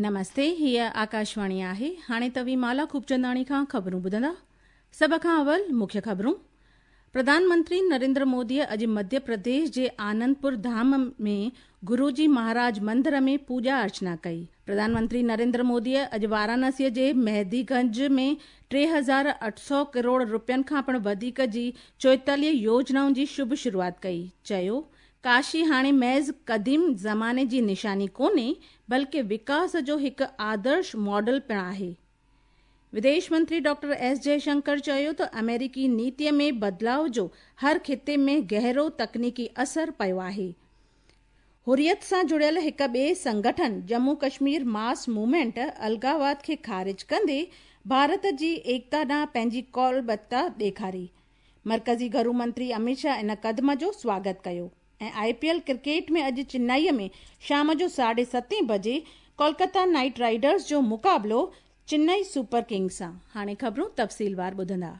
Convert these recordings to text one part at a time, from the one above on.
نمستي، هيء آڪاشواڻي آهي. هاڻي توهين مالا خوبچنداڻي کان خبرون ٻڌندا. سڀ کان اول مکيه خبرون. پرڌان منتري نريندر موديء اڄ مڌيه پرديش جي آنندپور ڌام ۾ گروجي مهاراج مندر ۾ پوڄا ارچنا ڪئي. پرڌان منتري نريندر موديء اڄ وارانسيء جي مهدي گنج ۾ 3800 ڪروڙ رپين کان پڻ وڌيڪ جي 44 يوجنائن جي شڀ شروعات ڪئي. چيو، ڪاشي هاڻي محض قديم زماني جي نشاني ڪونهي، بلڪه وڪاس جو هڪ آدرش ماڊل پڻ آهي. وديش منتري ڊاڪٽر ايس جئشنڪر چيو ته آمريڪي نيتي ۾ بدلاء جو هر خطي ۾ گهرو تڪنيڪي اثر پيو آهي. حريت سان جڙيل هڪ ٻئي سنگٺن ڄمون ڪشمير ماس موومينٽ الغاواد کي خارج ڪندي ڀارت جي ايڪتا ڏانهن پنهنجي قولبتا ڏيکاري. مرڪزي گهرو منتري اميت شاهه ان قدم جو سواگت ڪيو ۽ آء پي ايل ڪرڪيٽ ۾ اڄ چنائي ۾ شام جو ساڍي ستين بجي ڪولڪتا نائيٽ رائيڊرز جو مقابلو چنائي سپر ڪنگز سان. هاڻي خبرون تفصيلوار ٻڌندا.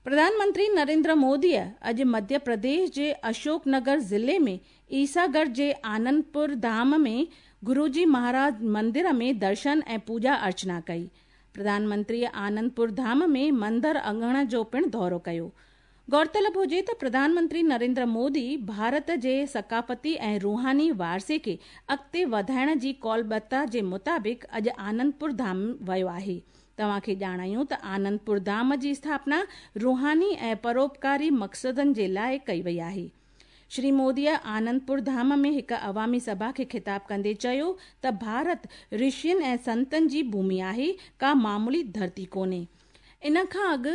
پرڌان منتري نريندر موديء اڄ مڌيه پرديش جي اشوڪ نگر ضلعي ۾ عيسيٰ ڳڙهه جي آنندپور ڌام ۾ گروجي مهاراج مندر ۾ درشن ۽ پوڄا ارچنا ڪئي. پرڌان منتريء آنندپور ڌام ۾ مندر اڱڻ جو پڻ دورو ڪيو. غور طلب هجي ته پرڌان منتري نريندر مودي ڀارت جي ثقافتي ۽ روحاني وارثي کي اڳتي وڌائڻ جي قولبتا جي مطابق اڄ آنندپور ڌام ويو آهي. توهان کي ڄاڻايون ته آنندپور ڌام جي اسٿاپنا روحاني ۽ پروپڪاري مقصدن جي لاء ڪئي وئي آهي. شري موديء آنندپور ڌام ۾ هڪ عوامي سڀا کي خطاب ڪندي چيو ته ڀارت رشين ۽ سنتن جي ڀومي آهي، ڪا معمولي ڌرتي ڪونهي. ان کان اڳ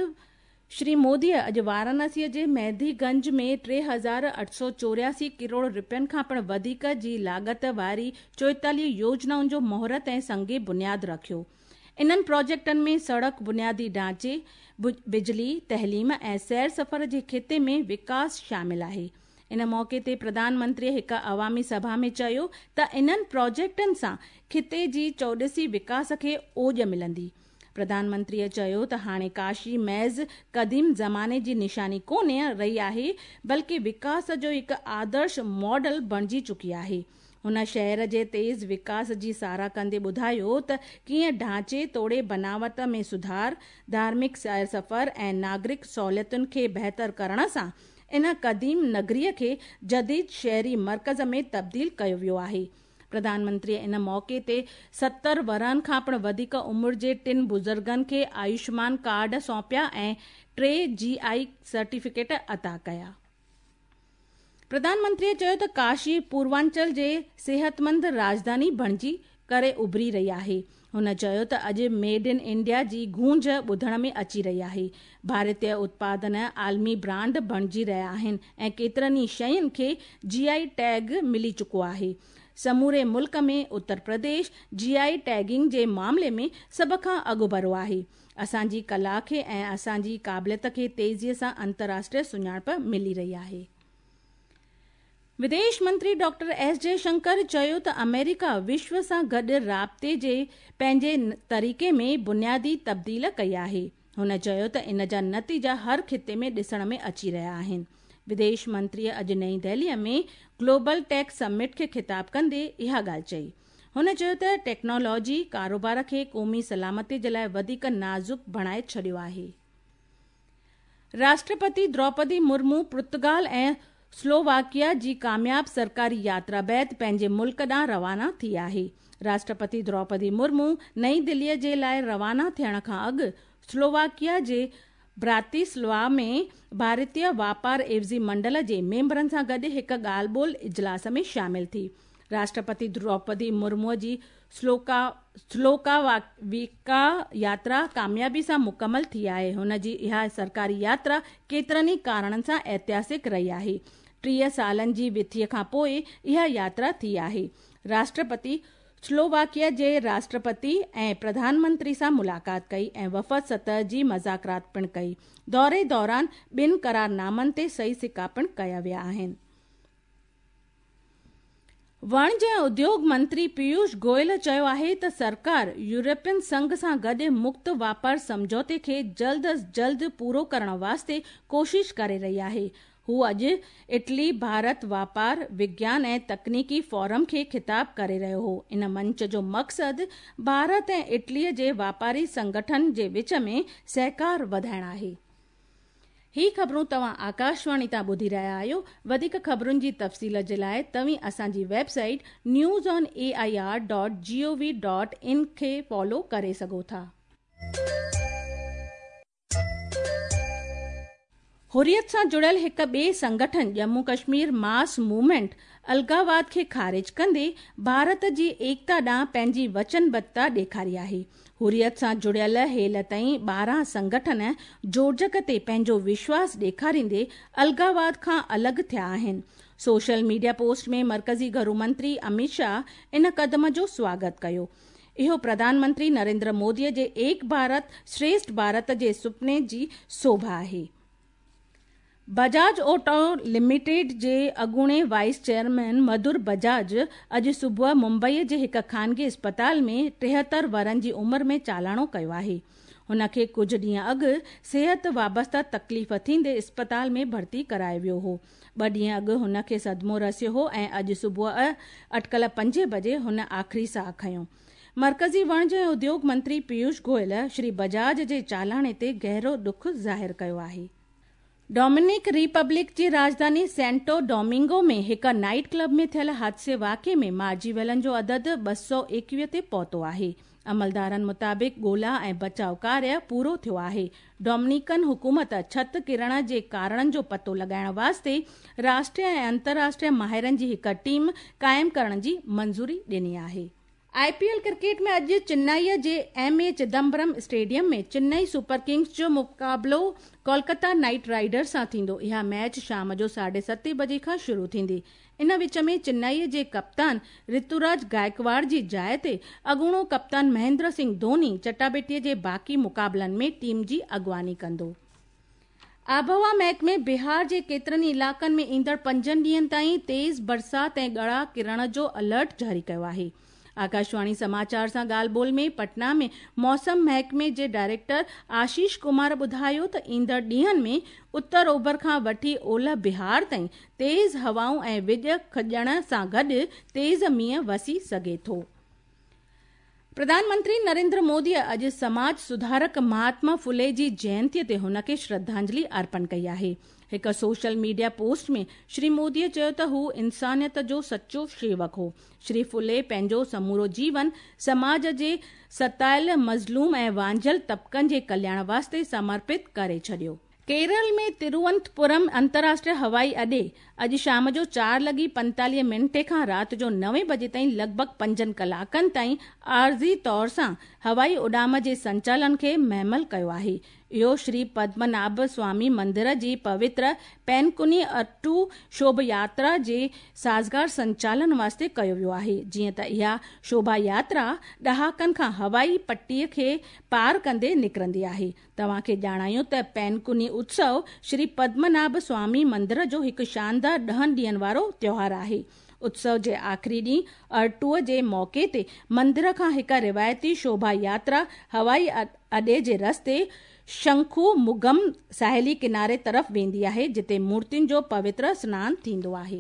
شري موديء اڄ وارانسيء جي مهدي گنج ۾ 3884 ڪروڙ رپين کان پڻ وڌيڪ جي لاڳت واري 44 يوجنائن جو مهورت ۽ سنگ بنياد رکيو. انهن پراجيڪٽن ۾ سڙڪ، بنيادي ڍانچي، بجلي، تعليم ۽ سير سفر جي خطي ۾ وڪاس شامل آهي. ان موقعي تي پرڌان منتريء هڪ عوامي سڀا ۾ چيو ته انهن پراجيڪٽن سان خطي جي چوڏسي وڪاس کي اوڄ ملندي. پرڌان منتريء چيو ته هاڻي ڪاشي محض قديم زماني جي نشاني ڪونه رهي آهي، بلڪه وڪاس جو هڪ آدرش ماڊل بڻجي چڪي آهي. هن شهر جي تيز وڪاس جي ساراهه ڪندي ٻڌايو ته ڪيئن ڍانچي توڙي بناوت ۾ سڌار، ڌارمڪ سير سفر ۽ ناگرڪ سهوليتن کي بهتر ڪرڻ سان ان قديم نگريء کي جديد شهري مرڪز ۾ تبديل ڪيو ويو آهي. پرڌان منتريء ان موقعي تي 70 ورهن کان پڻ وڌيڪ عمر جي ٽن بزرگن کي آيوشمان ڪارڊ سونپيا ۽ ٽي جي آء سرٽيفڪيٽ عطا ڪيا. پرڌان منتريء چيو ته ڪاشي پوروانچل جي صحتمند راڄڌاني بڻجي ڪري اڀري رهي آهي. هن چيو ته اڄ ميڊ ان انڊيا جي گونج ٻڌڻ ۾ اچي رهي آهي. ڀارتيه اتپادن عالمي برانڊ بڻجي رهيا آهن ۽ ڪيترن ئي شين کي جي آء ٽيگ ملي چڪو آهي. سموري ملڪ ۾ اتر پرديش جي آء ٽيگنگ جي معاملي ۾ سڀ کان اڳڀرو آهي. اسان جي ڪلا کي ۽ اسان جي قابليت کي تيزيء سان انترراشٽريه سڃاڻپ ملي رهي آهي. وديش منتري ڊاڪٽر ايس جئشنڪر چيو ته آمريڪا وشو سان گڏ رابطي جي پنهنجي طريقي ۾ بنيادي تبديل ڪئي آهي. هن چيو ته ان جا نتيجا هر خطي ۾ ڏسڻ ۾ اچي رهيا آهن. وديش منتريء اڄ نئين دهليء ۾ گلوبل ٽيڪ سمٽ کي خطاب ڪندي اها ڳالهه چئي. هن چيو ته ٽيڪنالاجي ڪاروبار کي قومي سلامتي جي لاء وڌيڪ نازڪ بڻائي ڇڏيو آهي. راشٽرپتي دروپدي مرمو پرتگال ۽ سلوواڪيا جي ڪامياب سرڪاري ياترا بعد پنهنجي ملڪ ڏانهن روانا ٿي آهي. راشٽرپتي دروپدي مرمو نئين دهليء جي لاء روانا ٿيڻ کان اڳ سلوواڪيا جي براتيسلوا ۾ ڀارتيه واپار عيوضي منڊل جي ميمبرن سان گڏ هڪ ڳالهه ٻولهه اجلاس ۾ شامل ٿي. راشٽرپتي دروپدي مرموء جي سلوڪاويڪا ياترا ڪاميابي سان مڪمل ٿي آهي. هن جي اها سرڪاري ياترا ڪيترن ئي ڪارڻن سان ائتهاسڪ رهي آهي. 30 سالن جي وٿيء کان پوء اها ياترا ٿي آهي. راشٽرپتي سلوواڪيا جي راشٽرپتي ۽ پرڌان منتري سان ملاقات ڪئي ۽ وفد سطح جي مذاڪرات پڻ ڪئي. دوري دوران ٻن قرارنامن تي صحيح سڪا پڻ ڪيا ويا آهن. وڻج ۽ اديوگ منتري پيوش گويل چيو آهي ته سرڪار يورپين سنگهه سان گڏ مڪت واپار سمجهوتي کي جلد از جلد پورو ڪرڻ واسطي ڪوشش ڪري رهي آهي. هو اڄ اٽلي ڀارت واپار، وگيان ۽ تڪنيڪي فورم کي خطاب ڪري رهيو هو. ان منچ جو مقصد ڀارت ۽ اٽلي جي واپاري سنگٺن جي وچ ۾ سهڪار وڌائڻ آهي. هي خبرون توهان آڪاشواڻي تان ٻڌي رهيا آهيو. وڌيڪ خبرن جي تفصيل جي لاء توهين اسان جي website news on A I R dot G O V dot in کي فالو ڪري سگهو ٿا. حريت سان جڙيل هڪ ٻئي سنگٺن ڄمون ڪشمير ماس موومينٽ الغاواد کي خارج ڪندي ڀارت جي ايڪتا ڏانهن پنهنجي وچنبڌتا ڏيکاري آهي. حريت سان جڙيل هيل تائين 12 سنگٺن جوڙجڪ تي پنهنجو وشواس ڏيکاريندي الغاواد کان الڳ ٿيا آهن. سوشل ميڊيا پوسٽ ۾ مرڪزي گهرو منتري اميت شاهه ان قدم جو سواگت ڪيو. اهو پرڌان منتري نريندر مودي جي ايڪ ڀارت شريشٺ ڀارت جي سپني جي سوڀا آهي. بجاج آٽو لميٽيڊ جي اڳوڻي وائيس چيئرمين مڌر بجاج اڄ صبح ممبئي جي هڪ خانگي اسپتال ۾ 73 ورهن جي عمر ۾ چالاڻو ڪيو آهي. هن کي ڪجهه ڏينهن اڳ صحت وابسته تڪليف ٿيندي اسپتال ۾ ڀرتي ڪرايو ويو هو. 2 ڏينهن اڳ هن کي صدمو رسيو هو ۽ اڄ صبح اٽڪل 5 بجي هن آخري ساهه کنيو. مرڪزي وڻج ۽ اديوگ منتري پيوش گويل شري بجاج جي چالاڻي تي گهرو ڏک ظاهر ڪيو آهي. ڊومينڪ ريپبلڪ جي راڄڌاني سينٽو ڊومنگو ۾ هڪ نائيٽ ڪلب ۾ ٿيل حادثي واقعي ۾ مارجي ويلن جو عدد 221 تي پهتو آهي. عملدارن مطابق ڳولا ۽ بچاء ڪاريه پورو ٿيو آهي. ڊومينيڪن حڪومت ڇت ڪرڻ جي ڪارڻن جو پتو لڳائڻ واسطي راشٽريه ۽ انترراشٽريه ماهرن جي هڪ ٽيم قائم ڪرڻ جي منظوري ڏني آهي. آء پي ايل ڪرڪيٽ ۾ اڄ چنائي جي M A Chidambaram stadium ۾ Chennai super kings جو مقابلو ڪولڪتا نائيٽ رائيڊرز سان ٿيندو. اها ميچ شام جو 7:30 بجي کان شروع ٿيندي. ان وچ ۾ چنائي جي ڪپتان رتوراج گائڪواڙ جي جاءِ تي اڳوڻو ڪپتان مهندر سنگهه ڌوني چٽاڀيٽي جي باقي مقابلن ۾ ٽيم جي اڳواڻي ڪندو. آبهوا محڪمي بهار جي ڪيترن ئي علائقن ۾ ايندڙ 5 ڏينهن تائين تيز برسات ۽ ڳڙا ڪرڻ جو الرٽ جاري ڪيو آهي. آڪاشواڻي سماچار سان ڳالهه ٻولهه ۾ پٽنا ۾ موسم محڪمي جي ڊائريڪٽر آشيش ڪمار ٻڌايو ته ايندڙ ڏينهن ۾ اتر اوڀر کان وٺي اولهه بهار تائين تيز هوائون ۽ وڄ کڄڻ سان گڏ تيز مينهن وسي سگهي ٿو. پرڌان منتري نريندر مودي اڄ سماج سڌارڪ مهاتما ڦلي جي جينتي تي هن کي شرڌانجلي ارپڻ ڪئي آهي. هڪ social media post ۾ Shri Modi چيو ته هو انسانيت جو سچو شيوڪ هو. شري ڦلي پنهنجو سمورو جيون سماج جي ستايل، مظلوم ۽ وانجهيل طبقن جي ڪلياڻ واسطي سمرپت ڪري ڇڏيو. ڪيرل ۾ تروونتپورم انترراشٽريه هوائي اڏي اڄ شام جو 4:45 کان رات جو 9 بجي تائين لڳ ڀڳ 5 ڪلاڪن تائين عارضي طور سان هوائي اڏام جي سنچالن کي مهمل ڪيو آهي. اهو شري پدمناڀ سوامي مندر جي پوتر پينڪوني اٽو شوڀ ياترا جي سازگار سنچالن واسطي ڪيو ويو آهي. جيئن ته اها شوڀا ياترا ڏهاڪن کان هوائي پٽي کي پار ڪندي نڪرندي آهي. توهان کي ڄاڻايون ته پينڪوني اتسو شري پدمناڀ سوامي مندر جو هڪ شاندار 10 ڏينهن وارو تيوهار آهي. اتسو جي آخري ڏينهن ارٽوء جي موقعي تي مندر کان هڪ روايتي شوڀا ياترا هوائي اڏي جي رستي شنکو مگم ساحلي ڪناري طرف ويندي آهي، جتي مورتين جو پوتر سنان ٿيندو آهي.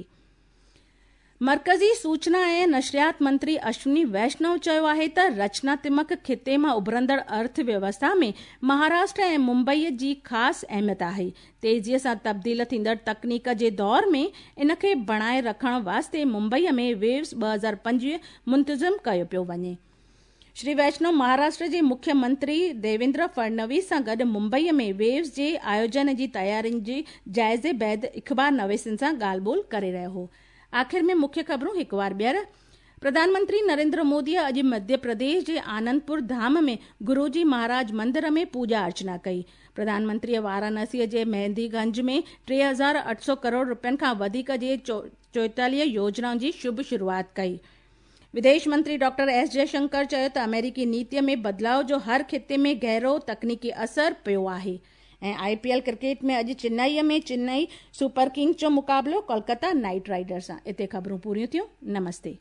مرڪزي سوچنا ۽ نشريات منتري اشوني ويشنو چيو آهي ته رچناتمڪ خطي مان اڀرندڙ ارٿ ويوسٿا ۾ مهاراشٽر ۽ ممبئي جي خاص اهميت آهي. تيزيء سان تبديل ٿيندڙ تڪنيڪ جي دور ۾ ان کي بڻائي رکڻ واسطي ممبئي ۾ ويوز 2025 منتظم ڪيو پيو وڃي. شري ويشنو مهاراشٽر جي مکيه منتري ديويندر فڙنويس سان گڏ ممبئي ۾ ويوز جي آيوجن جي تيارين جي جائزي بعد اخبار نويسن سان ڳالهه ٻولهه ڪري رهيو هو. آخر ۾ مکيه خبرون هڪ وار ٻيهر. پرڌان منتري نريندر مودي اڄ مڌيه پرديش جي آنندپور ڌام ۾ گروجي مهاراج مندر ۾ پوڄا ارچنا ڪئي. پرڌان منتري وارانسي جي مهندي گنج ۾ 3800 ڪروڙ رپين کان وڌيڪ جي 44 يوجنائن جي شڀ شروعات ڪئي. وديش منتري ڊاڪٽر ايس جئشنڪر چيو ته آمريڪي نيتي ۾ بدلاء جو هر خطي ۾ گهرو تڪنيڪي اثر پيو آهي. ۽ I P L cricket ۾ اڄ چنائي ۾ چنائي سپر ڪنگز جو مقابلو ڪولڪتا نائيٽ رائيڊرز سان. اتي خبرون پوريون ٿيون. نمستي.